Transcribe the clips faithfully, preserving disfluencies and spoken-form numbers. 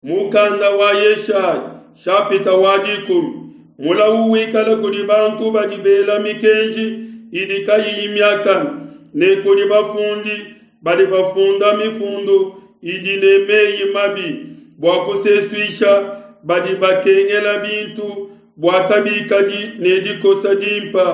Mukanda wa Yeshaya, shapita wa dikumi. Mulawu wikale kudi bantu badi bela mikenji idi kayiyi miakane, ne kudi bafundi badi bafunda mifundu idi ne meyi mabi bua kusesuisha badi bakengela bintu, bua kabikadi ne dikosa dimpe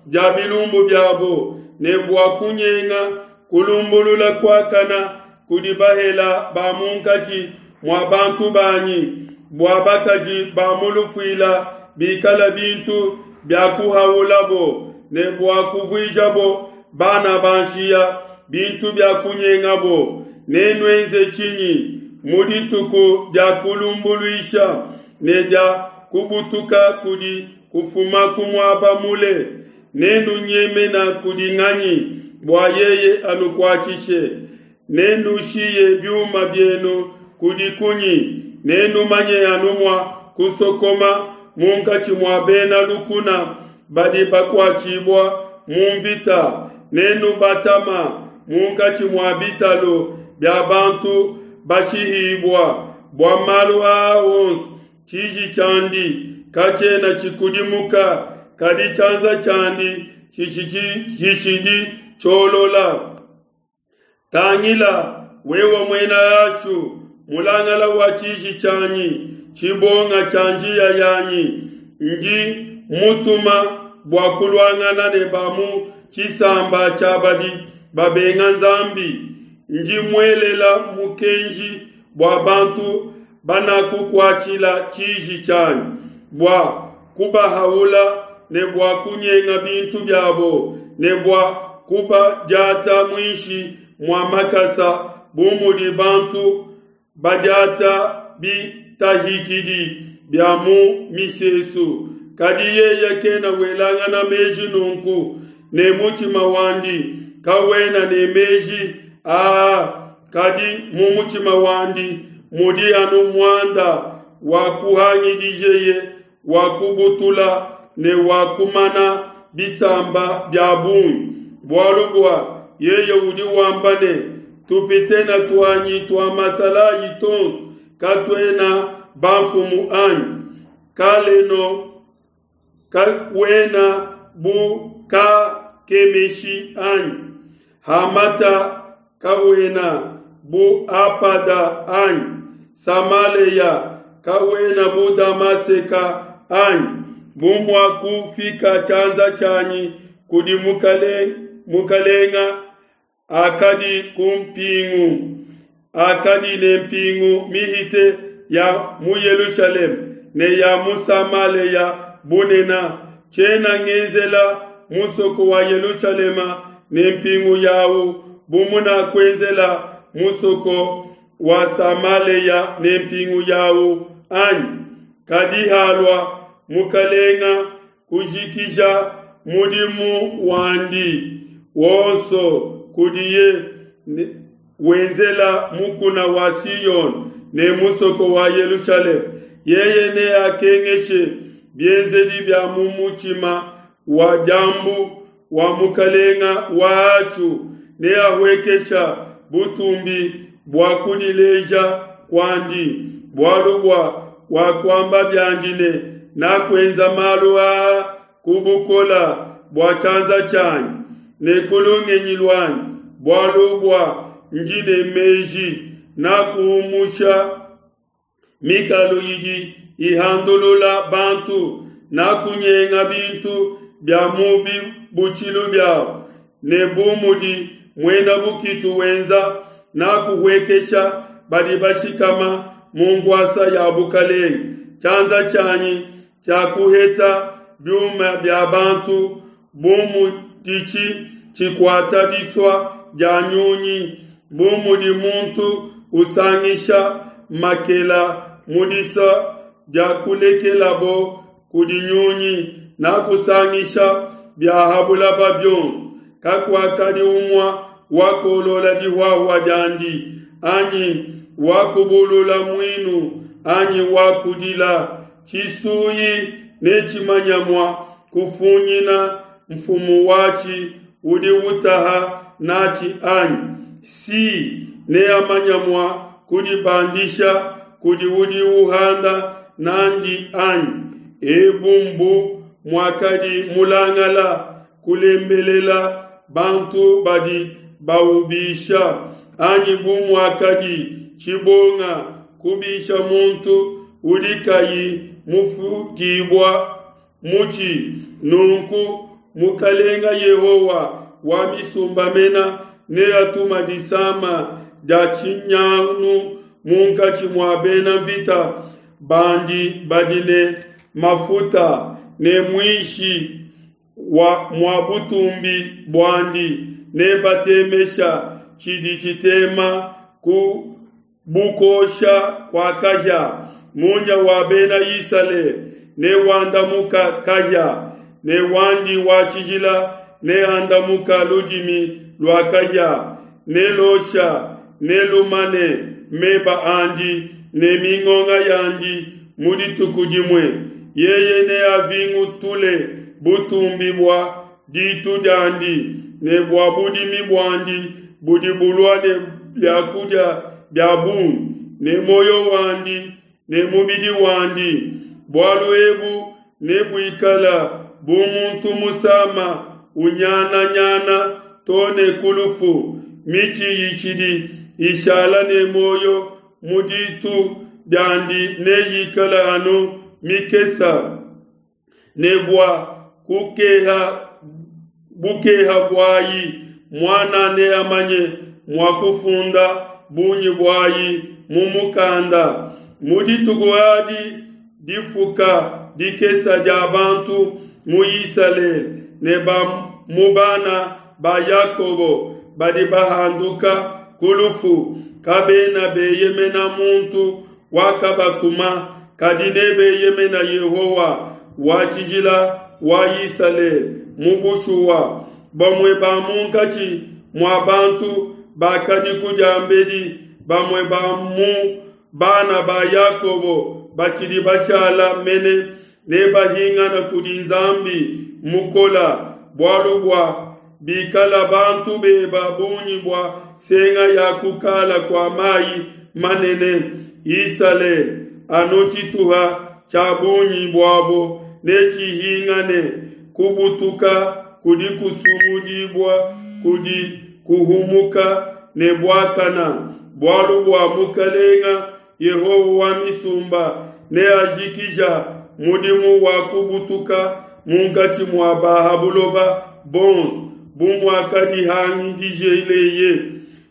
dia bilumbu biabo, ne bua kunyenga kulumbulula kuakane kudi bahele ba munkatshi mua bantu banyi, bua bakaji ba mu lufuila bikale bintu bia kuhaulabo, ne bua kuvuijabo bana ba nshiya bintu bia kunyengabo. Nenuenze tshinyi mu dituku dia kulumbuluisha ne dia kubutuka kudi kufuma ku muaba mule? Nenunyemena kudi nganyi bua yeye anukuatshishe? Nenushiye biuma bienu kudi kunyi? Nenumanye anu mua kusokoma munkatshi mua bena lukuna badi bakuatshibua mu mvita. Nenubatama munkatshi mua bitalu bia bantu bashihibua. Bua malu aa onso tshiji tshiandi katshiena tshikudimuka, kadi tshianza tshiandi tshitshidi tshiolola. Tangila, wewe muena Ashu, mulangala wa tshiji tshianyi, tshibonga tshia njiya yanyi, ndi mutuma bua kuluangana ne ba mu tshisamba tshia badi babenga Nzambi. Ndi muelela mukenji bua bantu banakukuatshila tshiji tshianyi, bua kubahaula ne bua kunyenga bintu biabo, ne bua kubadiata muinshi mua makasa bu mudi bantu badiata bitahikidi bia mu misesu. Kadi yeye kena welangana meji nunku, ne mutshima wandi kawena ne meji aa, kadi mu mutshima wandi mudi anu muanda wa kuhangidijeye wa kubutula ne wa kumana bisamba bia bungi. Bualu bua yeye udi wamba ne, tupitena tuanyi tua masalayi tonso katuena bamfumu anyi? Kaleno kawena bu Kakemeshi anyi? Hamata kawena bu Apada anyi? Samaleya kawena bu Damaseka anyi? Bu muakufika tshianza tshianyi kudi mukalenga akadi ku mpingu, akadi ne mpingu mihite ya mu Yelushalema ne ya mu Samaleya bunena, tshiena ngenzela musoko wa Yelushalema ne mpingu yawu bu munakuenzela musoko wa Samaleya ne mpingu yawu anyi? Kadi halua mukalenga kujikija mudimu wandi wonso kudiye wenzela mukuna wa Siyone ne musoko wa Yelushalema, yeye neakengeshe bienzedi bia mu mutshima wa diambu wa mukalenga wa Ashu, neahuekesha butumbi bua kudileja kuandi, bualu bua wakuamba biandi ne, nakuenza malu aa ku bukola bua tshianza tshianyi ne ku lungenyi luanyi, bualu bua ndi ne meji, nakuumusha mikalu idi ihandulula bantu, nakunyenga bintu bia mu bibutshilu biabo, ne bu mudi muena bukitu wenza, nakuhuekesha badi bashikama mu nkuasa ya bukalenge. Tshianza tshianyi tshiakuheta biuma bia bantu bu muditshi tshikuata disua dia nyunyi, bu mudi muntu usangisha makela mu disua dia kulekelabo kudi nyunyi, nakusangisha bia ha bulaba bionso. Kakuakadi umue wakolola dihuahua diandi, anyi wakubulula muinu, anyi wakudila. Tshisuyi netshimanya mua kufunyina mfumu watshi udi utaha natshi anyi? Si neamanya mua kudibandisha kudi udi uhanda n'andi, anyi? Ebu mbu muakadi mulangala kulembelela bantu badi baubisha, anyi bu muakadi tshibonga kubisha muntu udi kayi mufukibua mutshi. Nunku Mukalenga Yehowa wa misumba mena neatuma disama dia tshinyanu munkatshi mua bena mvita bandi badi ne mafuta, ne muishi wa mua butumbi buandi nebatemesha tshidi tshitema ku bukosha kua kahia. Munya wa bena Isalele newandamuka kahia, ne wandi wa tshijila neandamuka ludimi lua kahia, ne losha ne lumane meba andi ne mingonga yandi mu dituku dimue. Yeye neavingutule butumbi bua ditu diandi ne bua budimi buandi budi bulua ne biakudia bia bungi, ne muoyo wandi ne mubidi wandi. Bualu ebu nebuikala bu muntu musama unyananyana to ne ku lufu. Mitshi itshidi ishala ne muoyo mu ditu diandi neyikala anu mikesa, ne bua kukeha bukeha buayi muana neamanye mua kufunda bungi buayi mu mukanda. Mu dituku adi difuka dikesa dia bantu mu Isalele ne ba mu bana ba Yakobo badi bahanduka ku lufu kabena beyemena muntu wakabakuma, kadi nebeyemena Yehowa wa tshijila wa Isalele mu bushuwa. Bamue ba munkatshi mua bantu bakadiku diambedi, bamue ba mu bana ba Yakobo batshidi bashala mene nebahingana kudi Nzambi mukola, bualu bua bikala bantu beba bungi bua senga ya kukala kua mai manene, Isalele anu tshituha tshia bungi buabo netshihingane. Kubutuka kudi kusungudibua kudi kuhumuka ne buakana, bualu bua Mukalenga Yehowa wa misumba neajikija mudimu wa kubutuka munkatshi mua ba ha buloba bonso, bu muakadihangidijeleye.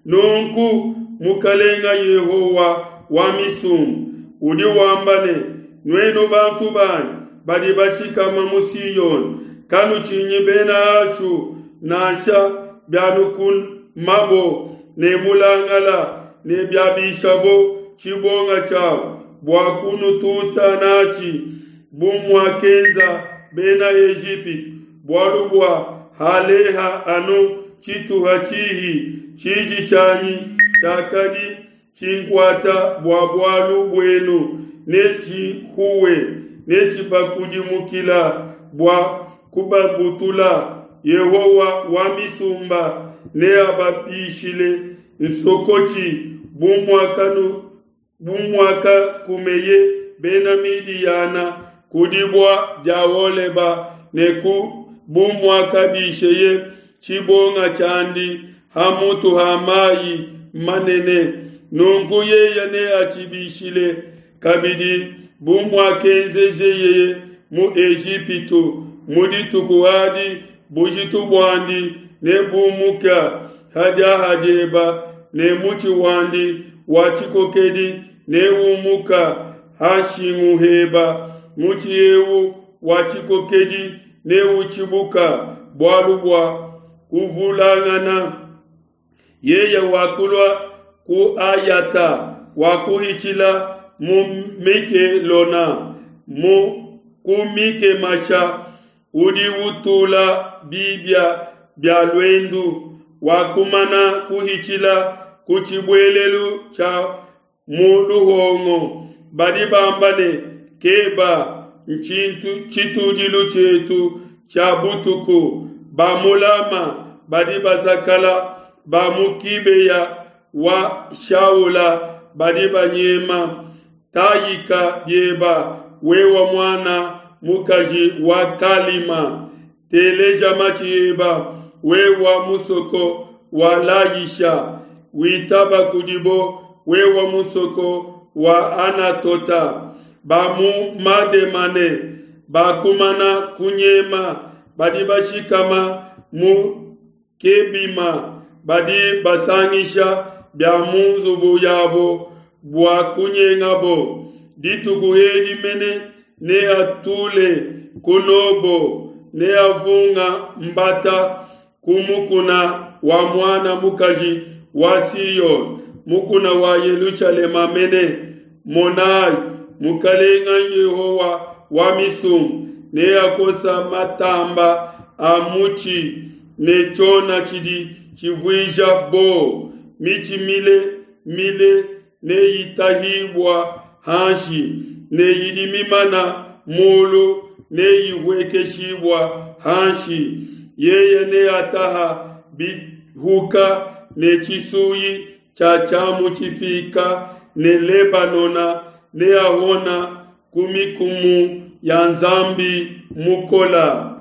Nunku Mukalenga Yehowa wa misumba udi wamba ne, nuenu bantu banyi badi bashikama mu Siona, kanutshinyi bena Ashu, nansha bianukumabo ne mulangala ne biabishabo tshibonga tshiabo bua kunututa natshi, bu muakenza bena Ejipitu. Bualu bua haleha anu tshituha tshihi, tshiji tshianyi tshiakadi tshinkuata bua bualu buenu netshihuwe, netshibakudimukila bua kubabutula. Yehowa wa misumba neababishile nsokotshi bu muakakumeye bena Midiyana ku dibua dia Oleba, ne ku bu muakabisheye tshibonga tshiandi ha mutu ha mai manene. Nunku yeye neatshibishile kabidi bu muakenzejeye mu Ejipitu. Mu dituku adi bujitu buandi nebumuka ha diaha dieba, ne mutshi wandi wa tshikokedi neumuka ha nshingu heba. Mutshi eu wa tshikokedi neutshibuka bualu bua kuvulangana. Yeye wakulua ku Ayata, wakuhitshila mu Mikelona, mu ku Mikemasha udi utula bibia bia luendu, wakumana kuhitshila ku tshibuelelu tshia mu luhongo. Badi bamba ne, Keba ntshintu tshitudilu tshietu tshia butuku. Ba mu Lama badi bazakala, ba mu Kibeya wa Shaula badi banyema. Tayika bieba, wewa mwana mukaji wa Kalima, teleja matshi eba, wewa musoko wa Layisha, witaba kudibo, wewa musoko wa Anatota. Ba mu Mademane bakumana kunyema, badi bashikama mu Kebima, badi basangisha bia mu nzubu yabo bua kunyengabo. Dituku edi mene neatule ku Nobo, neavunga mbata ku mukuna wa muana mukaji wa Siyone, mukuna wa Yelushalema mene. Monayi, Mukalenga Yehowa wa misumba neakosa matamba a mutshi ne tshiona tshidi tshivuija bo mitshi mile mile neyitahibua hanshi, ne idi mimana mulu neyihuekeshibua hanshi. Yeye neataha bihuka ne tshisuyi tshia tshiamu tshifika, ne Lebanona neahona ku mikumu ya Nzambi mukola.